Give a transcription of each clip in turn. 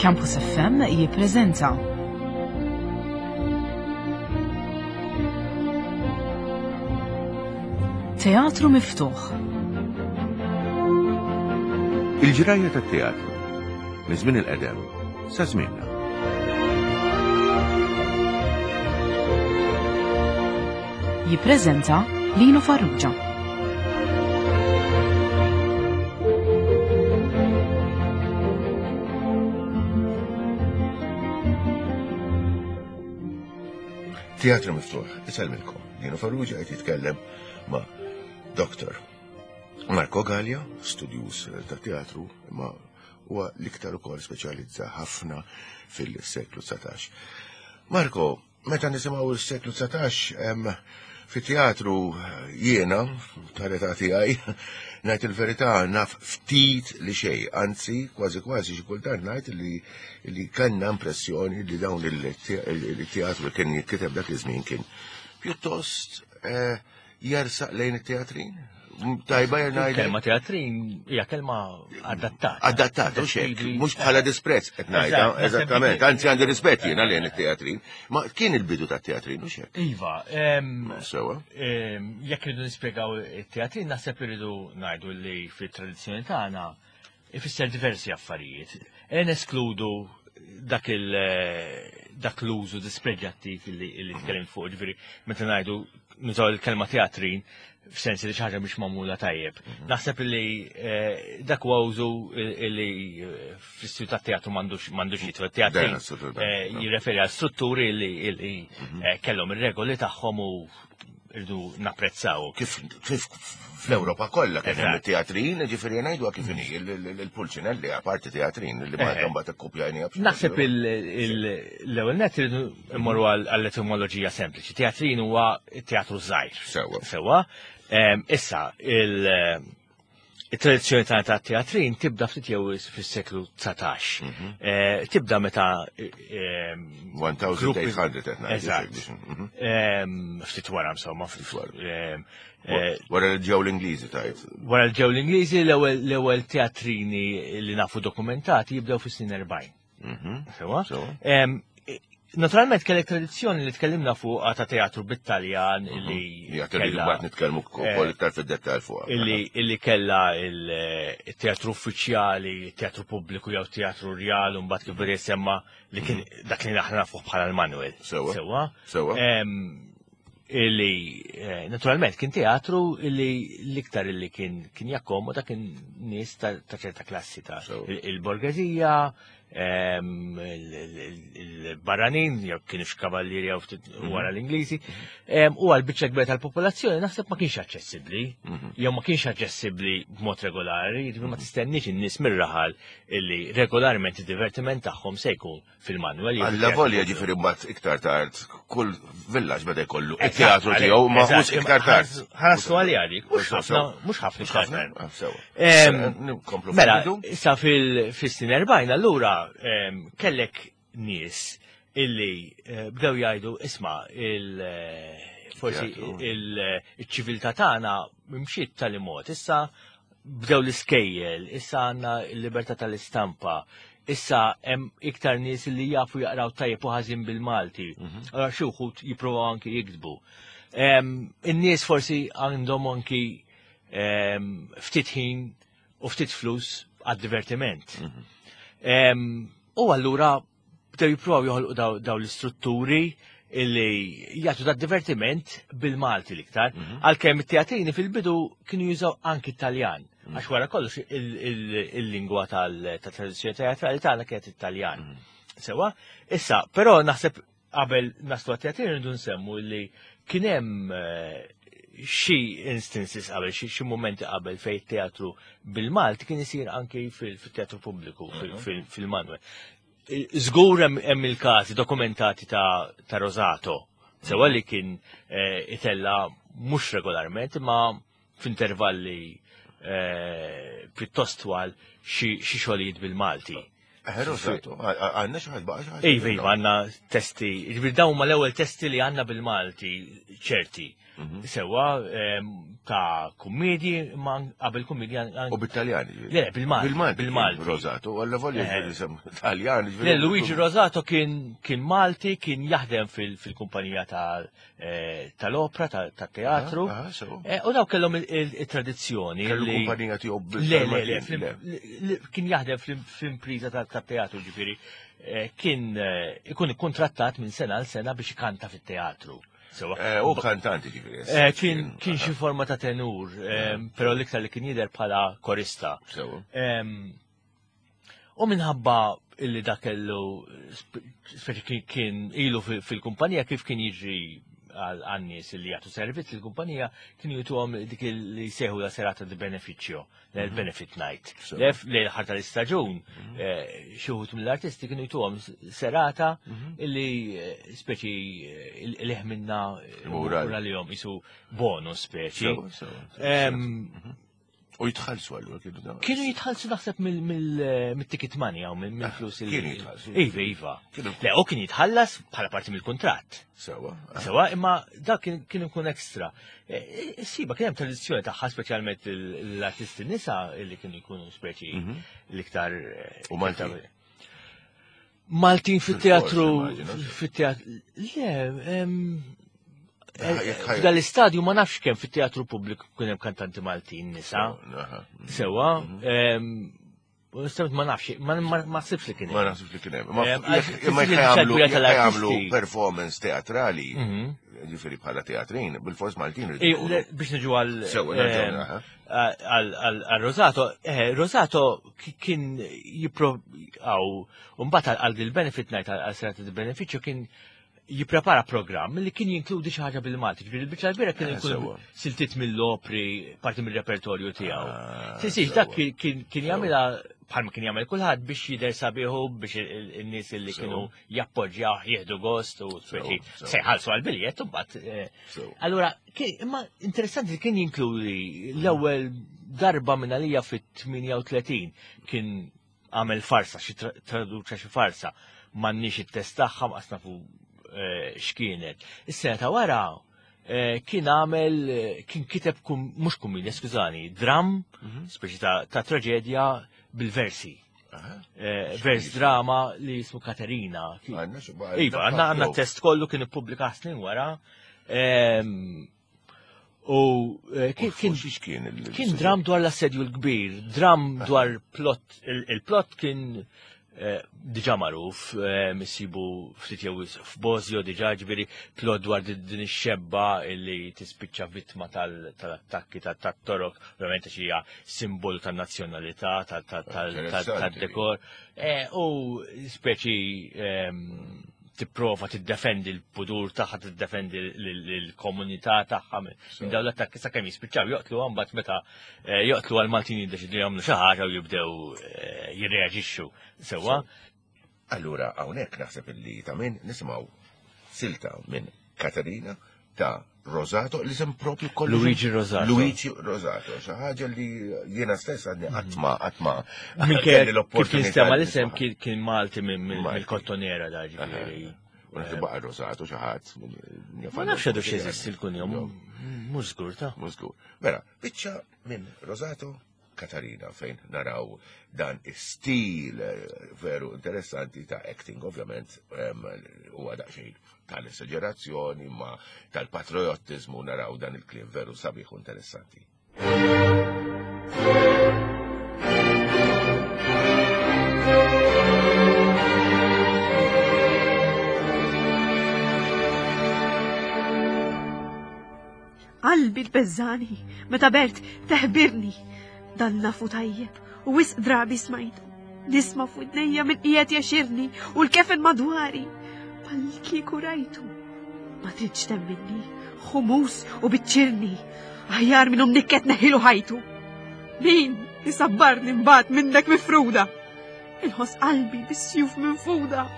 Campus FM jippreżenta Teatru Miftuħ. Il-ġrajja tat-teatru minn żmien il-qedem sa żmienna. Jippreżenta Lino Farrugia. Teatru miftuħ, isellmilkom. Lino Farrugia qed jitkellem ma' Dr. Marco Gallia, studjuż ta' teatru, ma' huwa l-iktar ukoll speċjalizza ħafna fil-seklu 19. Marco, meta nisimgħu s-seklu 19, fit-teatru jiena, tal-età tiegħi, ngħid il-verità naf ftit li xejn, anzi kważi kważi xi kultant ngħid li li kellna impressjoni li dawn il-teatru kien jitkiteb dak iż-żmien kien pjuttost eh, jersaq lejn it-teatrin? Tajba jena Kelma teatrin hija kelma adattata. Adattata, u xek, mhux bħala disprezz qed ngħidha, eżattament. Anzi għandi rispett jiena lejn it-teatrin. Ma kien il-bidu tat-teatrin u xek. Iva, sewa. Jekk irridu nispjegaw it-teatrin naħseb irridu ngħidu li fit-tradizzjoni tagħna ifisser diversi affarijiet. E neskludu dak il dak l-użu dispreġjattiv li li tkellimt fuq, ġifieri meta ngħidu nużaw il-kelma teatrin f'sens li xi ħaġa mhix magħmula tajjeb. Mhm. Naħseb li eh, dak huwa użu li eh, fl-istudju tat-teatru m'għandux m'għandux jitwa teatrin eh, jirreferi għal strutturi li mhm. kellhom ir-regoli tagħhom u irdu napprezzaw. Kif kif fl-Ewropa kollha kien hemm it-teatrin, ġifieri ngħidu kif inhi il-Pulcinelli apparti teatrin li Malta mbagħad ikkupjajniha. Naħseb l-ewwel net irridu mmorru għall-etimoloġija sempliċi. Teatrin huwa teatru żgħir. Sewwa. Sewwa. Issa il- it-tradizzjoni tagħna ta' teatrin tibda ftit jew fis-seklu 19. Mhm. Eh, tibda meta 1800 qed Eżatt. Mhm. Ehm, ftit wara insomma, ftit wara. Ehm, eh, wara li ġew l-Ingliżi tajt. Wara li ġew l-Ingliżi l-ewwel teatrini li nafu dokumentati jibdew fis-snin 40. Mhm. Sewa? Naturalment kellek tradizzjoni li tkellimna fuq ta' teatru bit-Taljan mhm. li. Ja, kelli mbagħad nitkellmu wkoll eh, iktar fid-dettall fuq. Illi kella il-teatru uffiċjali, teatru pubbliku jew teatru rjal u mbagħad kif beda jisemma li kien mhm. dak li aħna nafuh bħala l-Manuel. Sewa. Sewa. Sewa. Illi eh, naturalment kien teatru illi l-iktar illi kien kien jakkomoda kien nies ta' ċerta klassi ta' il-borgezija, il-barranin, jew kienu x'kavallieri jew ftit mhm. wara l-Ingliżi, u għal biċċa kbira tal-popolazzjoni naħseb ma kienx aċċessibbli, mhm. jew ma kienx aċċessibbli b'mod regolari, jiġifieri ma mhm. tistenniex in-nies mir-raħal illi regolarment id-divertiment tagħhom se jkun fil-manwel. Alla volja ġifieri mbagħad iktar tard kull villaġġ beda jkollu it-teatru tiegħu ma mhux iktar tard. Ħarsu għalija dik, mhux ħafna, mhux ħafna iktar tard. Mela, issa fil-snin 40 allura kellek nies illi eh, bdew jgħidu isma' il eh, forsi il-ċiviltà tagħna mxiet tal-imod. Issa bdew l-iskejjel, issa għandna l-libertà tal-istampa, issa hemm iktar nies li jafu jaqraw tajjeb u ħażin bil-Malti. Mhm. Allora xi wħud jippruvaw anki jiktbu. In-nies forsi għandhom anki ftit ħin u ftit flus għad-divertiment. Mhm. U allura bdew jippruvaw joħolqu daw l-istrutturi illi jagħtu da divertiment bil-Malti l-iktar, mhm. għalkemm it-teatrini fil-bidu kienu jużaw anki Taljan, mhm. għax wara kollox il-lingwa tal-tradizzjoni teatrali tagħna kienet it-Taljan. Mhm. Sewa, issa, però naħseb qabel naslu għat-teatrini rridu nsemmu li kien hemm eh, xi instances qabel, xi momenti qabel fejn teatru bil-Malti kien isir anki fil-teatru pubbliku, fil-Manwel. Żgur hemm il-każi dokumentati ta', ta Rosato, sewa li kien eh, itella mhux regolarment, imma f'intervalli eh, pjuttost twal xi xogħlijiet bil-Malti. Eh, Rosato, għandna xi ħadd baqa' xi ħadd. Iva, iva, għandna testi, ġifieri dawn huma l-ewwel testi li għandna bil-Malti ċerti. Mhm. Sewa ta' kummedji, ma qabel kummedji. U bit-Taljan. Le, bil-Malti. Bil-Malti. Bil-Malti. Rosato, għalla volja eh. Taljan. Le, Luigi Rosato kien Malti, kien jaħdem fil-kumpanija eh, tal-opra, tat-teatru. Eh, u daw kellhom il-tradizzjoni. Kellu kumpanija tiegħu Le, le, le, kien jaħdem fl-impriża tat-teatru ġifieri. Kien ikun ikkontrattat minn sena għal sena biex ikanta fit-teatru. Eh, u kantanti ġifieri. Eh, kien kien xi forma ta' tenur, eh, però l-iktar li kien jidher bħala korista. U minħabba illi dak kellu speċi kien ilu fil-kumpanija kif kien jiġri għan-nies li jagħtu servizz il-kumpanija kienu jituhom dik li seħu la serata di beneficio. l-benefit night. Lef li l-ħar tal-istaġun, mhm. eh, xi wħud mill-artisti kienu jtuhom serata mhm. illi eh, speċi eh, li ħminna mura li jom jisu bonus speċi. Mhm. U jitħallsu għallu kienu da. Kienu jitħallsu naħseb mill-ticket money għaw mill-flus il. Kienu jitħallsu. Iva, iva. Le, u kien jitħallas bħala parti mill-kuntratt. Sewa. Sewa, imma dak kien ikun ekstra. E, e, Siba, kien hemm tradizzjoni tagħha speċjalment l-artisti nisa li kienu jkunu speċi mhm. l-iktar. Eh, U Maltin. Maltin fit-teatru, fit-teatru, le, eh, f'dal-istadju ma nafx kemm fit-teatru pubbliku kien hemm kantanti Maltin nisa. Sewa, mhm. Onestament ma nafx, ma naħsibx li kien hemm. Ma naħsibx li kien hemm. Imma jekk jagħmlu performance teatrali, mhm. ġifieri bħala teatrin, bil-fors Maltin. Biex niġu għal għal Rosato, eh, Rosato kien jipro għaw, mbagħad għal il-benefit night għal serata di beneficio kien jipprepara programm li kien jinkludi xi ħaġa bil-Malti. Ġifieri il-biċċa l-kbira kien eh, ikun siltiet mill-opri, parti mill-repertorju tiegħu. Ah, Sisix dak kien jagħmilha bħalma kien jagħmel kulħadd biex jidher sabiħu biex in-nies li kienu jappoġġjaw jieħdu gost u speċi se jħallsu għall-biljett u mbagħad. Eh, allura, imma interessanti li kien jinkludi l-ewwel darba minn għalija fit-38 kien għamel farsa, xi traduċa xi farsa, m'għandniex it-test tagħha ma nafu eh, x'kienet. Is-sena ta' wara eh, kien għamel eh, kien kiteb mhux kummedja, skużani, dram, mhm. speċi ta' traġedja bil-versi. Vers drama li jismu Katerina. Iva, għanna għanna test kollu kien ippubblika snin wara. Ehm, U eh, kien kien kien dram dwar l-assedju l-kbir, dram ah. dwar plot, il-plot kien eh, diġa magħruf, eh, missibu ftit jew f'Bozjo diġa ġifieri plot dwar din ix-xebba li tispiċċa vittma tal-attakki tat-torok, ovvjament għax hija simbolu tan-nazzjonalità, tad-dekor. U speċi ehm, tipprova tiddefendi l-pudur tagħha, tiddefendi l-komunità tagħha minn dawn l-attakki sakemm jispiċċaw joqtlu mbagħad meta eh, joqtlu għal Maltin jiddeċidu jagħmlu xi ħaġa u jibdew eh, jirreaġixxu sewwa. Allura hawnhekk naħseb illi ta' min nisimgħu silta minn Katerina ta' Rosato, li sem propju kollu. Luigi Rosato. Luigi Rosato, xi ħaġa li jiena stess għadni qatt ma qatt ma. Kif jinstema l-isem kien Malti mill-Kottonera da ġifieri. U naħseb baqa' Rosato xi ħadd. Ma nafx għadu x'jeżisti l-kunjom, mhux żgur ta' Mhux żgur. Mela, biċċa minn Rosato Katarina fejn naraw dan istil eh, veru interessanti ta' acting, ovvjament huwa daqsxejn tal-esagerazzjoni ma tal-patriottiżmu naraw dan il-kliem veru sabiħ u interessanti. Qalbi tbeżżani, meta Bert teħbirni. Dan nafu tajjeb u wisq drabi smajtu. Nisma' f'widnejja min qiegħed jexirni u l-kefen madwari. Bħal kieku rajtu. Ma tridx temminni, ħumus u biċċirni. Aħjar minn nikket neħilu ħajtu. Min isabbarni mbagħad minnek mifruda? Inħoss qalbi bis-sjuf minfuda.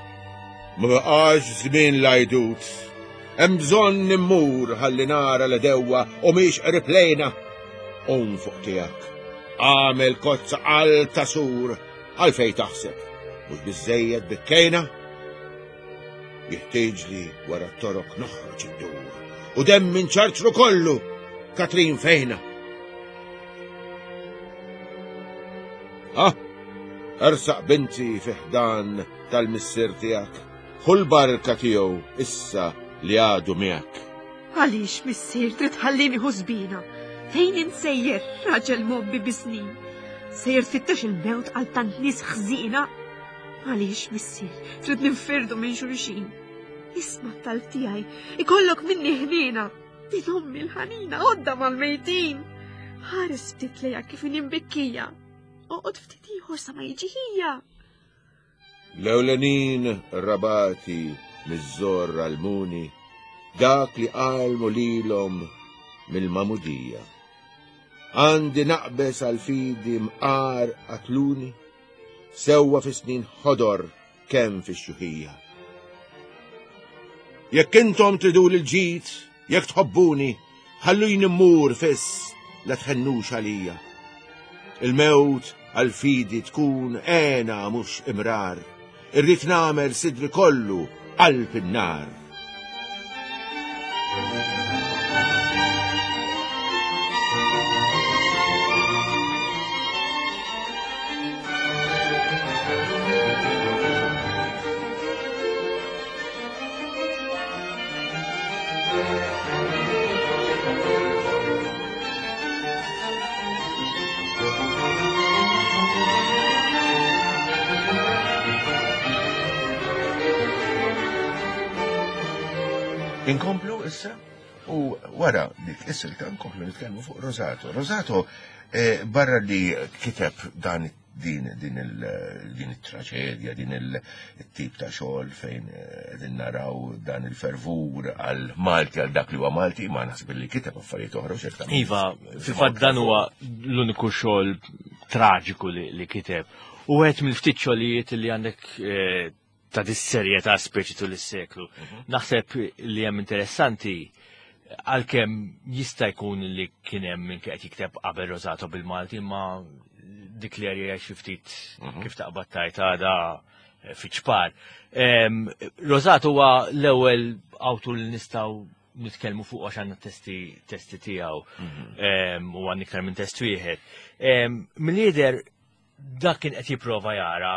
Ma baqax żmien l-għajdut. Hemm bżonn immur ħalli nara l-edewwa u mhix qrib lejna. Qum fuq tiegħek. Għamel kozza għal tasur għalfejn taħseb. Mhux biżżejjed bikkejna? Jiħtieġli wara t-torok noħroġ iddur u demmi nċarċru kollu Katrin fejna. Ah, ersaq binti fi ħdan tal-missier tiegħek, ħu l-barka tiegħu issa li għadu miegħek. Għaliex, missier, trid tħallini ħużbina? Fejn insejjer, raġel mobbi bis-snin? Sejjer tfittex il-mewt għal tant nies ħżiena? Għaliex, missier, trid ninfirdu minn xulxin? Isma' t-talb tiegħi, ikollok minni ħniena. Din ommi l-ħanina għodda mal-mejtin. Ħares ftit lejha kif inhi mbikkija. Oqgħod ftit ieħor sa ma jiġi ħija. L-ewlenin rabati miż-żorr għallmuni dak li għallmu lilhom mill-magħmudija. Għandi naqbeż għall-fidi mqar qatluni, sewwa fi snin ħodor kemm fix-xjuħija. Jekk intom triduli l-ġid, Jekk tħobbuni, ħalluni mmur fiss la tħennux għalija. Il-mewt għall-fidi tkun għena mhux imrar. Irrid nagħmel sidri kollu qalb in-nar. Inkomplu issa u wara dik is-silta nkomplu nitkellmu fuq Rosato. Rosato eh, barra li kiteb dan din din il din it-traġedja, din il-tip ta' xogħol fejn eh, qegħdin naraw dan il-fervur għal Malti għal dak li huwa Malti, ma naħseb li kiteb affarijiet oħra u ċertament. Iva, fil-fatt dan huwa l-uniku xogħol traġiku li, li kiteb. U għed mill-ftit xogħlijiet li għandek eh, ta' dis-serjetà speċi tul is-seklu. Mhm. Naħseb li hemm interessanti għalkemm jista' jkun li kien hemm min qed jikteb qabel Rosato bil-Malti imma dik li għarja xi ftit mhm. kif taqbad tajt għada eh, fiċ-ċpar. Rosato huwa l-ewwel awtur li nistgħu nitkellmu fuq għax għandna testi testi tiegħu mhm. u għandna iktar minn test wieħed. Mill-jidher dak kien qed jipprova jara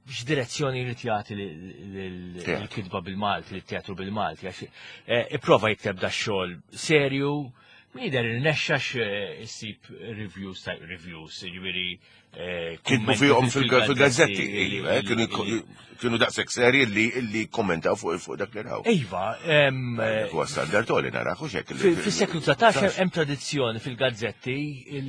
x'direzzjoni jrid jagħti lill-kitba bil-Malti, lit-teatru bil-Malti, għax eh, ipprova jikteb da xogħol serju, min jidher irnexxa eh, issib reviews ta' reviews, jiġifieri eh, Kitbu fihom fil-gazzetti, iva, kienu daqshekk serji li li kommentaw fuq fuq dak li raw. Iva, huwa standard li naraw hekk. Fis-seklu 19 hemm tradizzjoni fil-gazzetti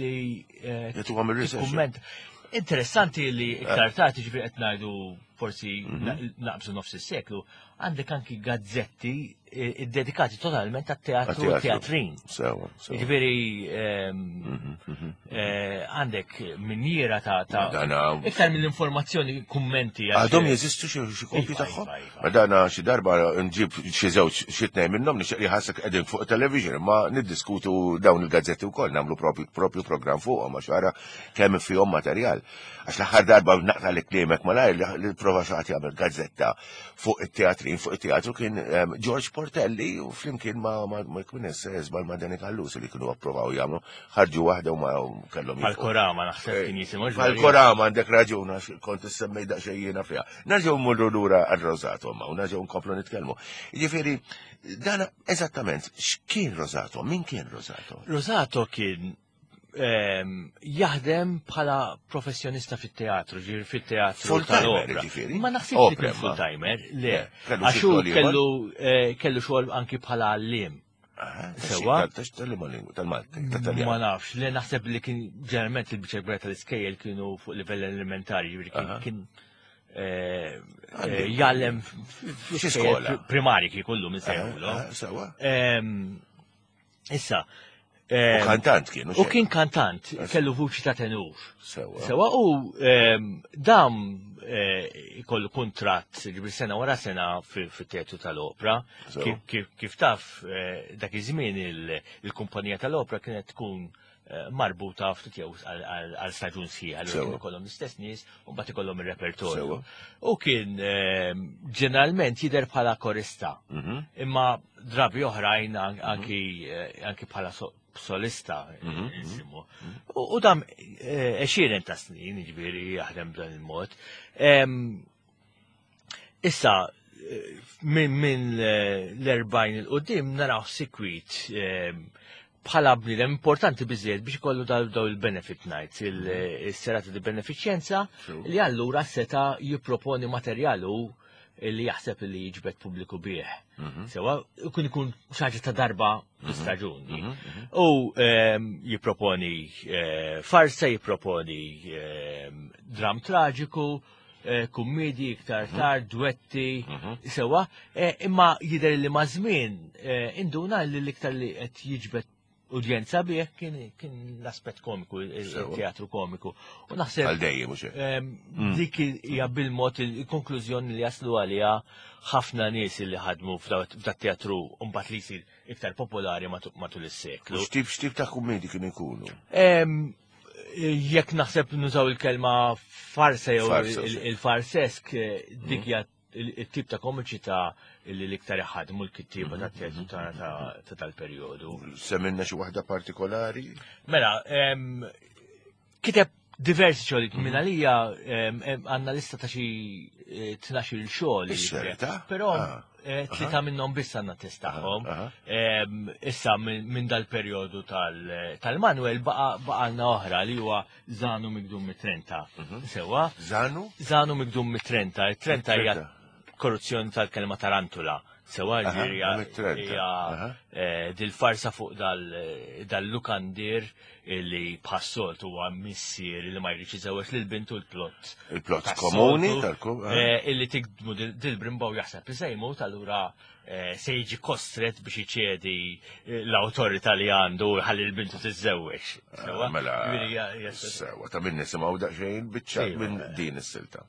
li Jagħtuhom ir-research. Kumment. Interessanti li iktar tard ġifieri qed ngħidu forsi mhm. naqbżu nofs is-seklu, għandek anki gazzetti eh, iddedikati totalment għat-teatru u teatrin. Sewa, Ġifieri ehm, mhm, mhm. eh, għandek minjiera ta' iktar mill-informazzjoni kummenti. Għadhom jeżistu xi kopji iva, tagħhom? Iva, iva. Ma dana xi darba nġib xi żewġ xi tnejn minnhom nixtieq li ħassek qegħdin fuq television imma niddiskutu dawn il-gazzetti wkoll nagħmlu propju programm fuqhom għax ara kemm fihom materjal. Għax l-aħħar darba naqta' li kliemek malajr li prova xi ħadd jagħmel gazzetta fuq it-teatrin fuq it-teatru kien ehm, George Portelli u flimkien ma ma kien żball ma' Danny Callus li kienu approvaw jagħmlu ħarġu waħda u ma kellhom. Għal-Korama naħseb kien jisimgħu. Għal-Korama għandek raġun għax kont issemmej daqsxejn jiena fiha. Nerġgħu mmorru lura għar-Rosato ma u nerġgħu nkomplu nitkellmu. Jiġifieri dan eżattament x'kien Rosato, min kien Rosato? Rosato kien ehm, jaħdem bħala professjonista fit-teatru, ġifieri fit-teatru tal-opera. Ġifieri. Ma naħsibx li kien full-timer, le. Għax hu kellu eh, kellu xogħol anki bħala għalliem. Sewa. Tal-Malti, Ma nafx, li naħseb li kien ġeneralment il-biċċa kbira tal-iskejjel kienu fuq livell elementari, jiġifieri kien eh, eh, jgħallem xi skola primari kien kollu minn sejħulu. Sewa. Ehm, issa, U ehm, kantant kien. U kien kantant, kellu vuċi ta' tenur. Sewa. Sewa u ehm, dam eh, ikollu kuntratt ġibri sena wara sena fit-teatru tal-opra. Kif taf eh, dak iż-żmien il-kumpanija tal-opra kienet tkun marbuta ftit jew għal staġun sħiħ, allura kienu kollhom l-istess nies u mbagħad ikollhom ir-repertorju. U kien ġeneralment jidher bħala korista, imma drabi oħrajn anki anki bħala solista insimu. U dam għexieren ta' snin, jiġifieri jaħdem b'dan il-mod. Issa, minn l-40 il-qoddim naraw sikwit bħala bniedem importanti biżejjed biex ikollu daw il-benefit nights, il-serata di benefiċjenza li allura seta jipproponi materjalu li jaħseb li jiġbed pubbliku bih. Sewa, ikun ikun xaġa ta' darba fl-istaġun. U jipproponi farsa, jipproponi dram traġiku, kummedji iktar tard, duetti, sewa, imma jidher li ma' żmien induna li l-iktar li qed jiġbed udjenza bih kien l-aspett komiku, il-teatru komiku. U naħseb Għal dejjem, mhux hekk? Dik hija bil-mod il-konklużjoni li jaslu għaliha ħafna nies li ħadmu f'dat teatru u mbagħad li jsir iktar popolari matul is-seklu. U x'tip ta' kummedji kienu jkunu? Jekk naħseb nużaw il-kelma farsa jew Farsa, sì. il-farsesk, dik hija il-tip ta' komiċità li l-iktar iħadmu l-kittieba ta' teatru ta' tal-perjodu. Semminna xi waħda partikolari? Mela, kiteb diversi xogħlijiet minn għalija, għandna lista ta' xi 12 xogħol li Ix-xerta? kiteb. Però, tlieta minnhom biss għandna test tagħhom. Issa minn dal-perjodu tal-Manuel baqalna oħra li huwa Zanu Migdum mit-Trenta. Sewa? Zanu? Zanu Migdum mit-Trenta. It-Trenta hija Trenta. korruzzjoni tal-kelma tarantula. Sewa, ġifieri Mit-Trenta. hija, dil-farsa fuq dal-lukandir li bħas-soltu huwa missier li ma jridx iżewweġ lil bintu l-plott. Il-plott tas-soltu, komuni tal-kum, aha. Illi tikdmu dil-brimbaw jaħseb li se jmut, allura se jiġi kostret biex iċedi l-awtorità li għandu u ħalli l-bintu tiżżewweġ. Sewa? Mela, Ġifieri hija sewa, ta' min nisimgħu daqsxejn biċċa Iva. minn din is-silta.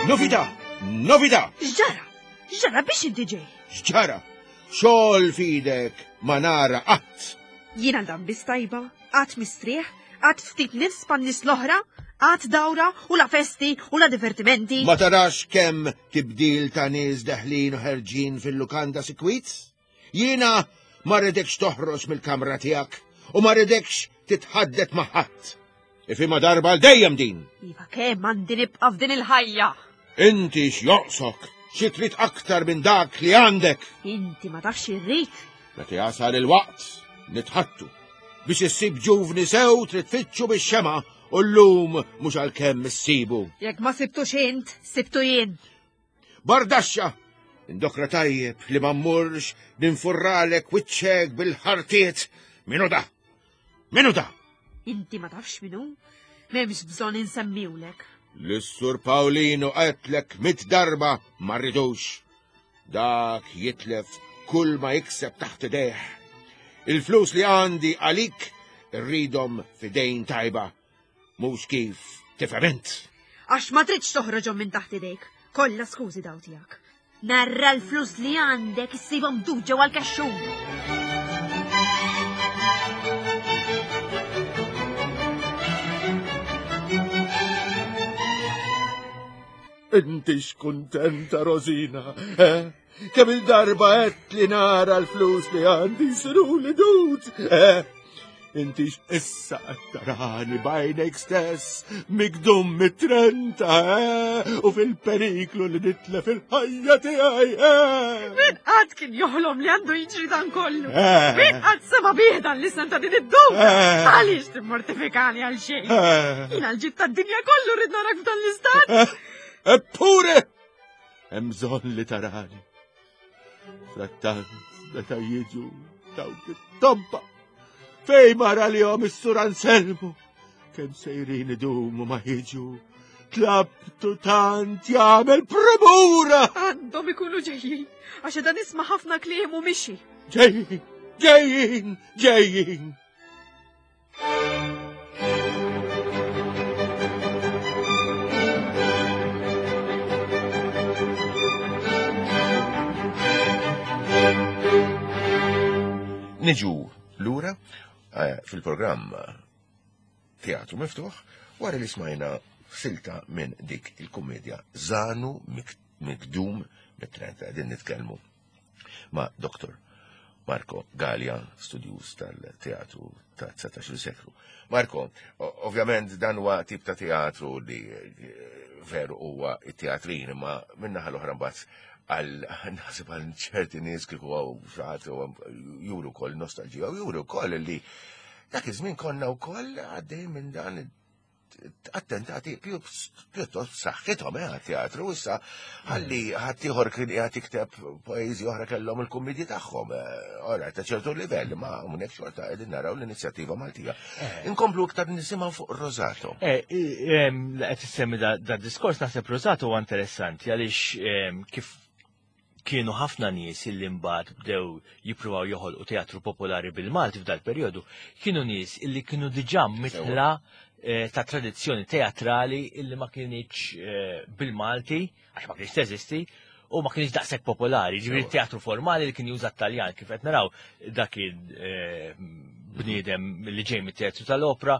Novità! Novità! X'ġara? X'ġara biex inti ġej? X'ġara? Xogħol f'idek ma nara qatt. Jiena dan biss tajba, qatt mistrieħ, qatt ftit nifs pan-nies l-oħra, qatt dawra u la festi u la divertimenti. Ma tarax kemm tibdil ta' nies deħlin u ħerġin fil-lukanda sikwit? Jiena ma rridekx toħroġ mill-kamra tiegħek u ma rridekx titħaddet ma' ħadd. Ifhimha darba għal dejjem din. Iva kemm għandi nibqa' f'din il-ħajja. Inti x'joqsok? Xi trid aktar minn dak li għandek? Inti ma tafx irrid. Meta jasal il-waqt nitħattu. Biex issib ġuvni sew trid tfittxu bix-xema u llum mhux għalkemm issibu. Jekk ma sibtux int, sibtu jien. Bardaxxa! Indokra tajjeb li ma mmurx ninfurralek wiċċek bil-ħartiet. Minu da? Minu da? Inti ma tafx minu? M'hemmx bżonn insemmiwlek. L-Sur Paolino qedlek 100 darba ma rridux. Dak jitlef kull ma jikseb taħt idejh. Il-flus li għandi għalik rridhom fidejn tajba. Mhux kif tifhem int. Għax ma tridx toħroġhom minn taħt idejk. Kollha skużi daw tiegħek. Narra l-flus li għandek issibhom dud ġewwa l-kexxun. Inti x'kuntenta, Rosina, eh? Kemm il-darba qed li nara l-flus li għandi jsiru li dud, eh? Inti issa qed tarani b'għajnejk stess, migdum mit-trenta, eh? U fil-periklu li nitlef il-ħajja tiegħi, eh? Min qatt kien joħlom li għandu jiġri dan kollu? Eh. Min qatt sema bih dan l-isem ta' din id-dum? Eh. Għaliex timmortifikani għal xejn? Eh. Jiena l-ġid tad-dinja kollu rrid narak f'dan l-istat. Eppure, hemm bżonn li tarani. Frattant, meta jiġu dawk it-tobba, fej mara li jom is-sur Anselmo, kemm sejrin idumu ma jiġu, tlabtu tant jagħmel premura. Għandhom ikunu ġejjin, għax dan nisma' ħafna kliem u mixi. Ġejjin, ġejjin, ġejjin. Niġu lura eh, fil-programm Teatru Miftuħ wara li smajna silta minn dik il-kummedja Zanu Mikdum mit-30 qegħdin nitkellmu ma' Dr. Marco Gallia, studjuż tal-teatru ta' 19 seklu. Marco, ovvjament dan huwa tip ta' teatru li eh, veru huwa it-teatrin, imma minnaħa l-oħra mbagħad għal naħseb għal ċerti nies kieku għaw xaħat juru kol nostalġija u juru kol li dak iż-żmien konna wkoll għaddej minn dan attentati pjuttost b'saħħithom eh, għat-teatru issa ħalli ħaddieħor kien qiegħed jikteb poeżi oħra kellhom il-kummedji tagħhom. Eh, ora ta' ċertu livell ma hawnhekk xorta qegħdin naraw l-inizjattiva Maltija. Eh. Inkomplu iktar nisimgħu fuq Rosato. Qed issemmi da diskors naħseb Rosato huwa interessanti għaliex kif kienu ħafna nies illi mbagħad bdew jippruvaw joħolqu teatru popolari bil-Malti f'dal-perjodu, kienu nies illi kienu diġà mitħla eh, ta' tradizzjoni teatrali illi ma kienx eh, bil-Malti, għax ma kienx teżisti, u ma kienx daqshekk popolari, ġifieri teatru formali li kien juża t-Taljan kif qed naraw dak kien eh, bniedem li ġej mit-teatru tal-opra,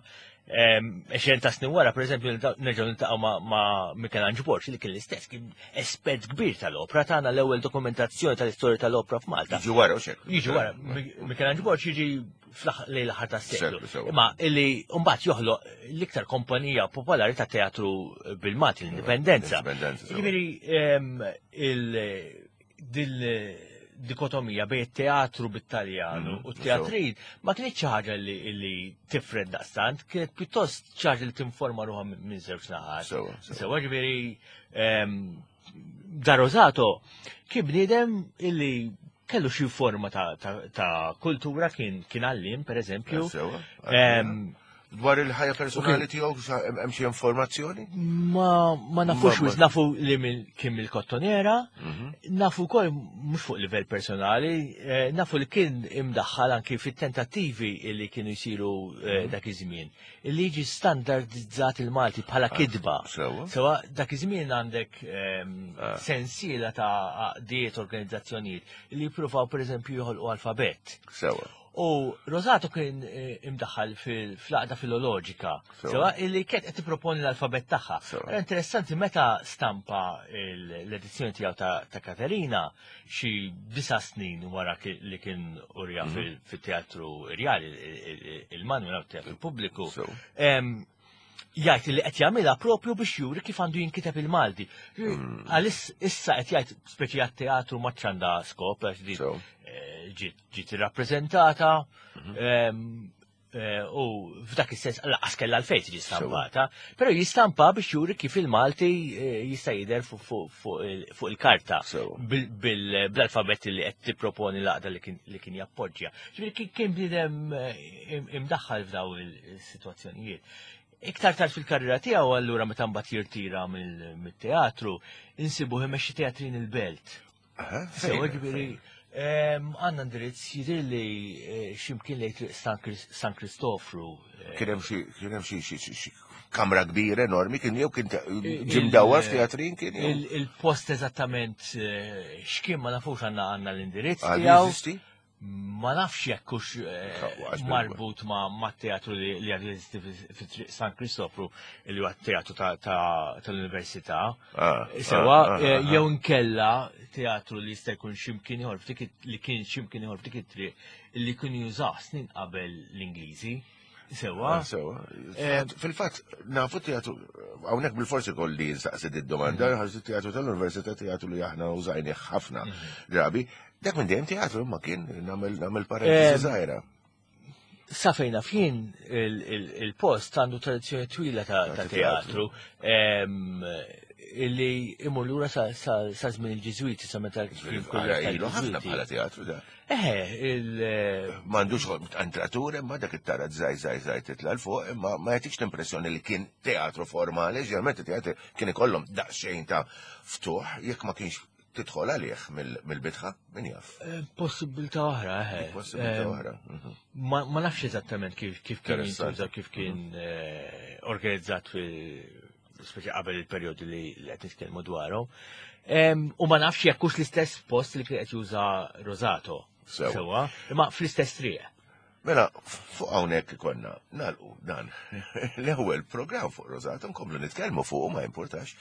Għexren ta' snin wara, per eżempju, nerġgħu niltaqgħu ma' Michelangelo Borg, li kien l-istess, kien espert kbir tal-opra, tagħna l-ewwel dokumentazzjoni tal-istorja tal-opra f'Malta. Jiġi wara, u xek. Jiġi wara, Michelangelo Borg jiġi lejn l-aħħar tas-seklu. Imma illi mbagħad joħloq l-iktar kompanija popolari ta' teatru bil-Malti, l-Indipendenza. Jiġifieri il dikotomija bejn teatru bit-Taljanu mhm, u teatrin ma kienx xi ħaġa li tifred daqstant, kienet pjuttost xi ħaġa li tinforma ruħha minn żewġ naħat. Sewa ġifieri ehm, da Rosato kien bniedem illi kellu xi forma ta' kultura kien għallim, per eżempju. Dwar il-ħajja personali tiegħu hemm xi informazzjoni? Ma ma nafux wis nafu li kien mill-kottonera, mhm. nafu wkoll mhux fuq livell personali, eh, nafu li kien imdaħħal anki fit-tentattivi li kienu jsiru eh, mhm. dak iż-żmien. Li jiġi standardizzat il-Malti bħala ah, kitba. Sewa dak iż-żmien għandek ehm, ah. sensiela ta' għaqdiet organizzazzjonijiet li jippruvaw pereżempju joħolqu alfabett. Sewa. U Rosato kien eh, imdaħħal fl-għaqda filoloġika, sewa illi kienet qed tipproponi l-alfabett tagħha. Interessanti meta stampa l-edizzjoni tiegħu ta' Katerina xi disa' snin wara li kien urja mhm. fit-teatru Rjali il-Manuel teatru pubbliku. Jgħid li qed jagħmilha propju biex juri kif għandu jinkiteb il-Malti. Mm. Għalis issa qed jgħid speċi għat-teatru ma ċanda skop għax di eh, ġiet irrappreżentata mhm. ehm, eh, u f'dak is-sens laqas kellha l-fejn tiġi stampata, però jistampa biex juri kif il-Malti eh, jista' jidher fuq il-karta bl-alfabet li qed tipproponi l-għaqda li kien jappoġġja. Ġifieri kien bniedem imdaħħal f'daw il-sitwazzjonijiet. Iktar tard fil-karriera tiegħu allura meta mbagħad jirtira mit-teatru, insibuh imexxi teatrin il-belt. Sewa ġifieri għandna indirizz jidher li eh, x'imkien lejn triq San Kristofru. Eh. Kien hemm xi xi kamra kbira enormi kien jew kien ġim dawar f'teatrin kien Il-post eżattament eh, x'kien ma nafux għandna għandna l-indirizz tiegħu. Ma nafx jekk hux eh, marbut ma' teatru li għadu jeżisti fi San Kristofru li huwa teatru tal-Università. Ah, Sewa, ah, ah, eh, jew nkella teatru li jista' jkun x'imkien ieħor li kien x'imkien ieħor f'dik it-triq li kienu jużaw snin qabel l-Ingliżi. Sewa. Ah, sewa. Eh, fil-fatt, nafu teatru, hawnhekk bil-forsi kolli nsaqsi id-domanda, mm. ħarġu teatru tal-Università teatru li aħna użajni ħafna mm. drabi. Dak minn dejjem teatru ma kien nagħmel nagħmel parentesi eh, żgħira. Sa fejn naf jien il-post għandu tradizzjoni twila ta' teatru illi imur lura sa żmien il-Ġiżwiti sa meta kien ilu ħafna bħala teatru da. Eħe, il. M'għandux entratur imma dak it-tara żgħir żgħir żgħir titla' 'l fuq imma ma jagħtikx l-impressjoni li kien teatru formali, ġeneralment it-teatri kien ikollhom daqsxejn ta' ftuħ jekk ma kienx tidħol għalih mill-bitħa, min jaf. Eh, possibilità oħra, eħe. Possibilità eh, oħra. Mhm. Ma nafx eżattament kif kien jintuża, kif kien mhm. eh, organizzat speċi qabel il-perjodu li qed nitkellmu dwarhom. U ma nafx jekk hux l-istess post li kien qed juża Rosato. Sewa, imma fl-istess triq. Mela, fuq hawnhekk ikollna nagħlqu dan l-ewwel programm fuq Rosato nkomplu nitkellmu fuq ma importax.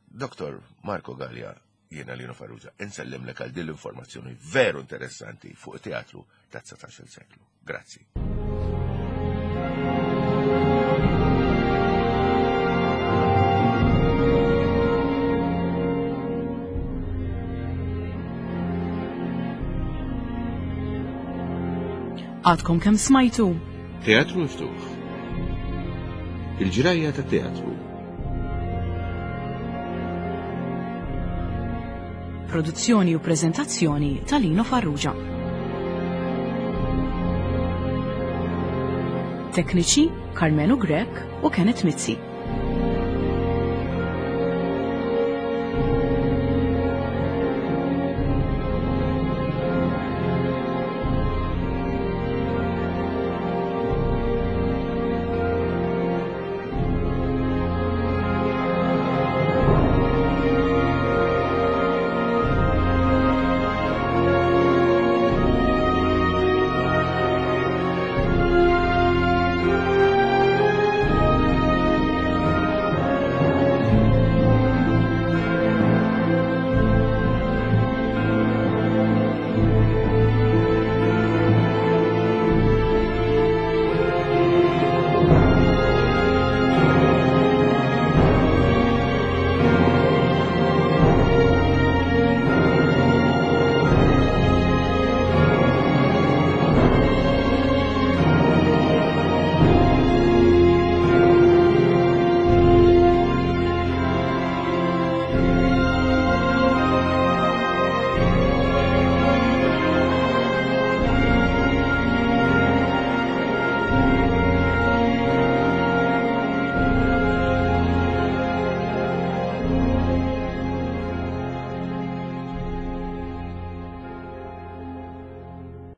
Dr. Marco Gallia, jiena Lino Farrugia, insellimlek għal din l-informazzjoni veru interessanti fuq teatru ta' 19 seklu. Grazzi. Għadkom kemm smajtu? Teatru miftuħ. Il-ġrajja ta' teatru. Produzzjoni u preżentazzjoni ta' Lino Farrugia. Tekniċi Carmenu Grech u Kenneth Mizzi.